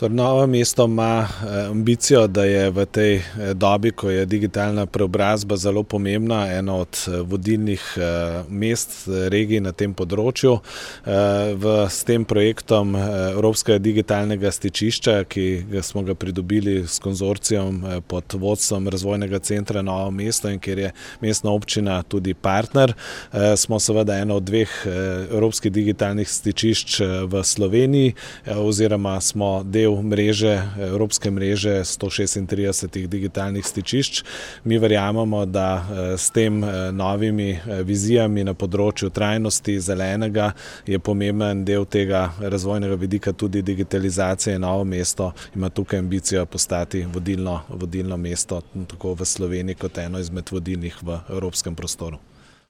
Novo mesto ima ambicijo, da je v tej dobi, ko je digitalna preobrazba zelo pomembna, eno od vodilnih mest, regij na tem področju. S tem projektom Evropskega digitalnega stičišča, ki smo ga pridobili s konzorcijem pod vodstvom Razvojnega centra Novo mesto in kjer je mestna občina tudi partner, smo seveda eno od dveh evropskih digitalnih stičišč v Sloveniji oziroma smo del evropske mreže 136 digitalnih stičišč. Mi verjamemo, da s tem novimi vizijami na področju trajnosti, zelenega, je pomemben del tega razvojnega vidika tudi digitalizacija. Novo mesto ima tukaj ambicijo postati vodilno mesto tako v Sloveniji kot eno izmed vodilnih v evropskem prostoru.